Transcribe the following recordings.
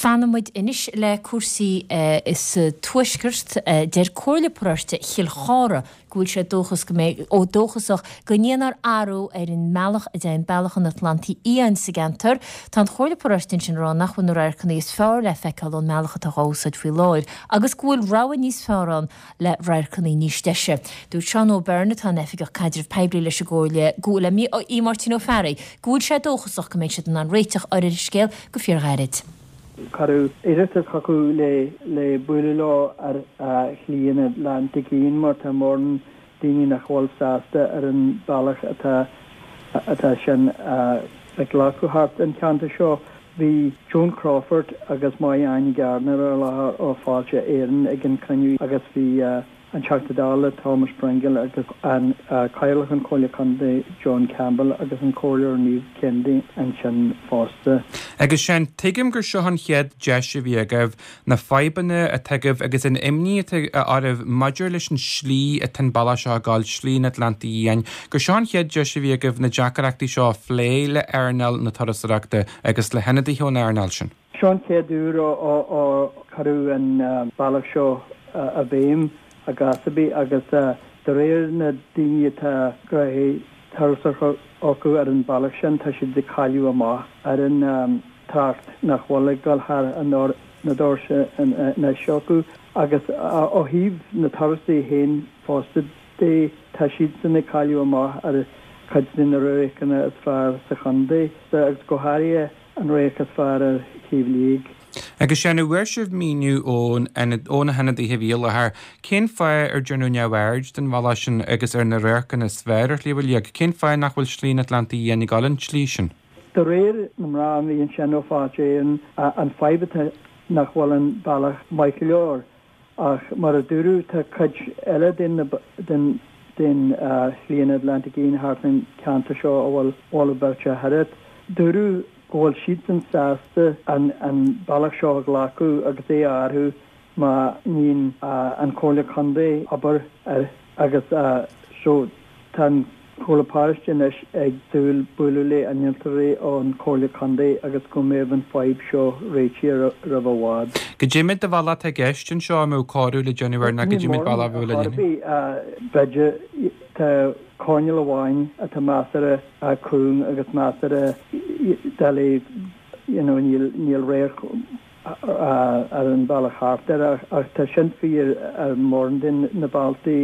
Fanfaidh muid anois le cúrsaí sa Tuaisceart. Deir Comhairle Paróiste Chill Chartha go bhfuil sé dóchas go mbeidh, ó dóchasach go ndéanfar athrú ar an mbealach a dtéann Bealach an Atlantaigh Fhiáin sa gceantar. Tá an Chomhairle Paróiste ansin ag rá nach bhfuil na radharcanna is fearr le feiceáil ón mbealach atá á úsáid faoi láthair agus go bhfuil rogha níos fearr ann le radharcanna níos deise. Dúirt Seán O'Byrne, atá ina Oifigeach Caidrimh Poiblí leis an gComhairle, go le Aodh Máirtín Ó Fearraigh, go bhfuil sé dóchasach go mbeidh siad in ann réiteach ar an scéal go fíorghairid. Cuireadh iarratas chucu le le bualadh leo ar Shlí an Atlantaigh Fhiáin mar tá mórán daoine nach bhfuil sásta ar an bealach atá atá sin ag glacadh thart an cheantar seo. Bhí Joan Crawford agus Máire Áine Gardiner ar láthair ó Fáilte Éireann ag an cruinniú agus bhí an Teachta Dála Thomas Pringle agus an Cathaoirleach an Chomhairle Contae John Campbell agus an Comhairleoir Niamh Kennedy ansin fosta. Agus Seán, tuigim gur seo an chéad deis a bhí agaibh na fadhbanna atá agaibh agus an imní atá oraibh maidir leis an slí atá an bealach seo ag gabháil, Slí an Atlantaigh Fhiáin, gur seo an chéad deis a bhí agaibh na deacrachtaí seo a phlé le earnáil na turasóireachta agus le hionadaithe ón earnáil sin. Seo an chéad uair ó cuireadh an bealach seo i bhfeidhm i gcás ar bith agus de réir na daoine atá gnóthaí turasóireachta acu ar an bealach sin tá siad ag cailleadh amach ar an trácht nach bhfuil ag dul thar na doirse anois acu agus ó thaobh na turasóirí féin fosta de tá siadsan ag cailleadh amach ar chuid de na radharcanna is fearr sa chontae agus go háirithe an radharc is fearr ar Shliabh Liag. Agus Seán, an bhfuair sibh míniú ó na hionadaithe a bhí i láthair cén fáth ar déanadh neamhaird den bhealach sin agus ar na radharcanna is fearr ar Shliabh Liag? Cén fáth nach bhfuil Slí an Atlantaigh Fhiáin ag dul an tslí sin? De réir na mná a bhí ansin ó Fáilte Éireann, an fadhb atá nach bhfuil an bealach maith go leor. Ach mar a dúradh, tá cuid eile den den den Shlí an Atlantaigh Fhiáin thart an ceantar seo a bhfuil moladh beirte thart. Dúradh go bhfuil siadsan sásta an an bealach seo a ghlacadh agus é a athrú má níonn an Chomhairle Contae obair air agus so tá an Chomhairle Paróiste anois ag súil bualadh le innealtóirí ón Chomhairle Contae agus go mbeidh an fadhb seo réitithe roimh i bhfad. Goidé méid de bhealach atá i gceist anseo a mbeadh cóiriú le déanamh air ná goidé méid bealach a bheadh le déanamh? B'fhéidir tá coirnéal amháin atá measartha cúng agus measartha doiligh you know níl níl radharc ar an bhealach thart air ach tá sin fíor ar mórán de na bealtaí.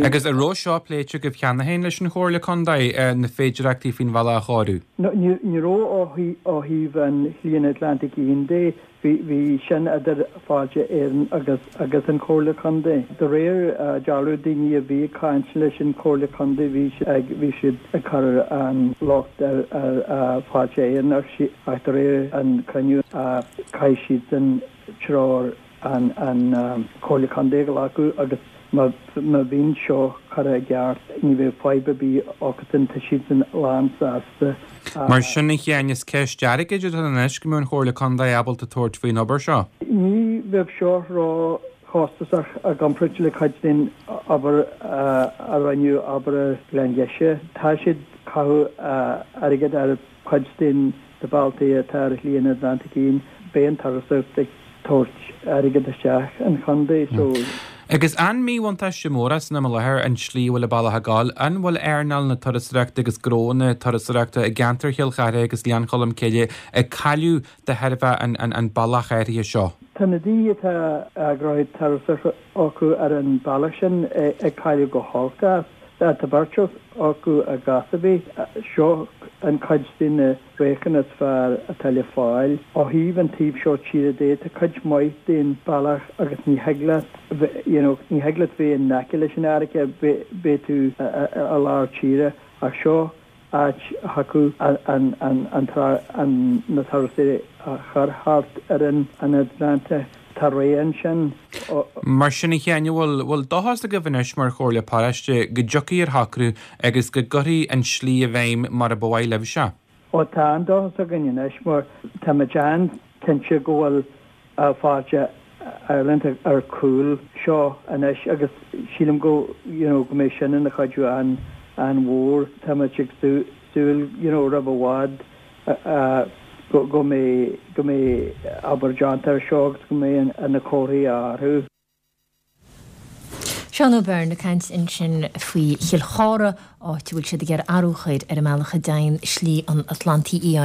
Agus an raibh seo pléite agaibh cheana féin leis an Chomhairle Contae, na féidireachtaí faoin bhealach a chóiriú? Ní raibh ó thaobh an Shlí an Atlantaigh Fhiáin de. Bhí sin idir Fáilte Éireann agus agus an Chomhairle Contae. De réir dealraimh daoine a bhí ag caint leis an Chomhairle Contae bhí siad ag bhí siad ag cur an locht ar ar Fáilte Éireann ach ach de réir an cruinniú caithfidh siadsan treoir an an Chomhairle Contae a ghlacadh agus má má bhíonn seo curtha i gceart ní bheidh fadhb ar bith acusan tá siadsan lán sásta. Mar sin, a Sheáin, is ceist airgid atá ann anois go mbeadh an Chomhairle Contae ábalta tabhairt faoin obair seo. Ní bheadh seo ró chostasach i gcomparáid le cuid den obair a rinneadh, obair ar Ghleann Gheise. Tá siad ag caitheamh airgid ar cuid den na bealtaí atá ar Shlí an Atlantaigh Fhiáin. Beidh an turasóireacht ag tabhairt airgead isteach an chontae so. Agus an míbhuntáiste mór é san am i láthair an tslí a bhfuil an bealach ag gabháil? An bhfuil earnáil na turasóireachta agus gnónna turasóireachta i gceantar Chill Chartha agus Ghleann Cholm Cille ag cailleadh de thairbhe an bealach áirithe seo? Tá na daoine atá gnóthaí turasóireachta acu ar an bealach sin ag cailleadh go holc as. Tá beirt acu i gcás ar bith. Seo an cuid de na radharcanna is fearr atá le fáil. Ó thaobh an taobh seo tíre de, tá cuid mhaith den bealach agus ní thig leat, you know, ní thig leat bheith in aice leis an fharraige, beidh tú i lár tíre ach seo áit a thiocfadh an na turasóirí a chur thart ar an Atlantach. Tá rogha ansin. Mar sin, a Sheáin, an bhfuil bhfuil dóchas agaibh anois mar Chomhairle Paróiste go dtiocfaidh ar shocrú agus go gcuirfí an tslí i bhfeidhm mar a ba mhaith libhse? Ó tá an-dóchas againn anois mar táimid an-cinnte go bhfuil Fáilte Ireland ar chúl seo anois agus sílim go you know go mbeidh sin ina chuidiú an-mhór. Táimid ag súil you know roimh i bhfad. go mbeidh go mbeidh obair déanta ar seo agus go mbeidh na comharthaí á athrú. Seán Ó Beirn ag caint ansin faoi Chill Chartha, áit a bhfuil siad ag iarraidh athrú a chur ar an mbealach a dtéann Slí an Atlantaigh Fhiáin.